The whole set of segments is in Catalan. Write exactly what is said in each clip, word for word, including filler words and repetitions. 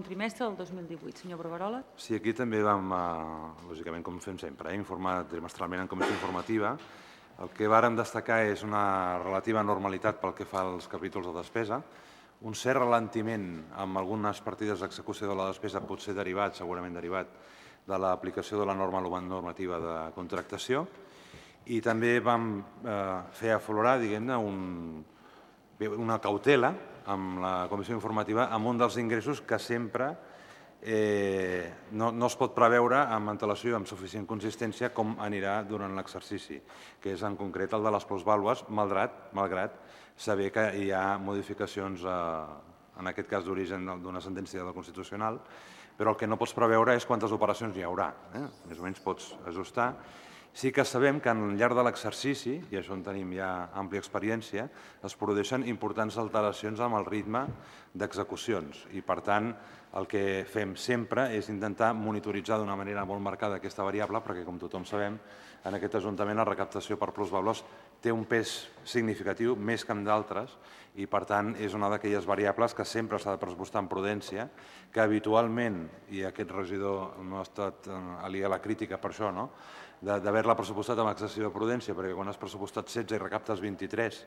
trimestre del dos mil divuit. Senyor Barberola. Sí, aquí també vam, lògicament, com fem sempre, informar trimestralment en comissió informativa. El que vàrem destacar és una relativa normalitat pel que fa als capítols de despesa, un cert ralentiment amb algunes partides d'execució de la despesa potser derivat, segurament derivat, de l'aplicació de la norma normativa de contractació, i també vam fer aflorar, diguem-ne, una cautela amb la comissió informativa amb un dels ingressos que sempre no es pot preveure amb antelació i amb suficient consistència com anirà durant l'exercici, que és en concret el de les plusvàlues, malgrat saber que hi ha modificacions, en aquest cas d'origen d'una sentència del Constitucional, però el que no pots preveure és quantes operacions hi haurà. Més o menys pots ajustar. Sí que sabem que al llarg de l'exercici, i això en tenim ja àmplia experiència, es produeixen importants alteracions amb el ritme d'execucions i, per tant, el que fem sempre és intentar monitoritzar d'una manera molt marcada aquesta variable perquè, com tothom sabem, en aquest Ajuntament la recaptació per plusvàlues té un pes significatiu, més que en d'altres, i, per tant, és una d'aquelles variables que sempre s'ha de pressupostar amb prudència, que habitualment, i aquest regidor no ha estat aliè a la crítica per això, no?, d'haver-la pressupostat amb excessiva prudència, perquè quan has pressupostat setze i recaptes vint-i-tres,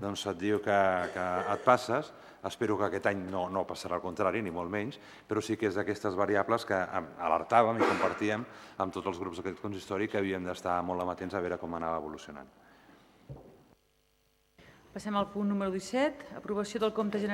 doncs et diu que et passes. Espero que aquest any no passarà al contrari, ni molt menys, però sí que és d'aquestes variables que alertàvem i compartíem amb tots els grups d'aquest consistori que havíem d'estar molt amatents a veure com anava evolucionant. Passem al punt número disset, aprovació del compte general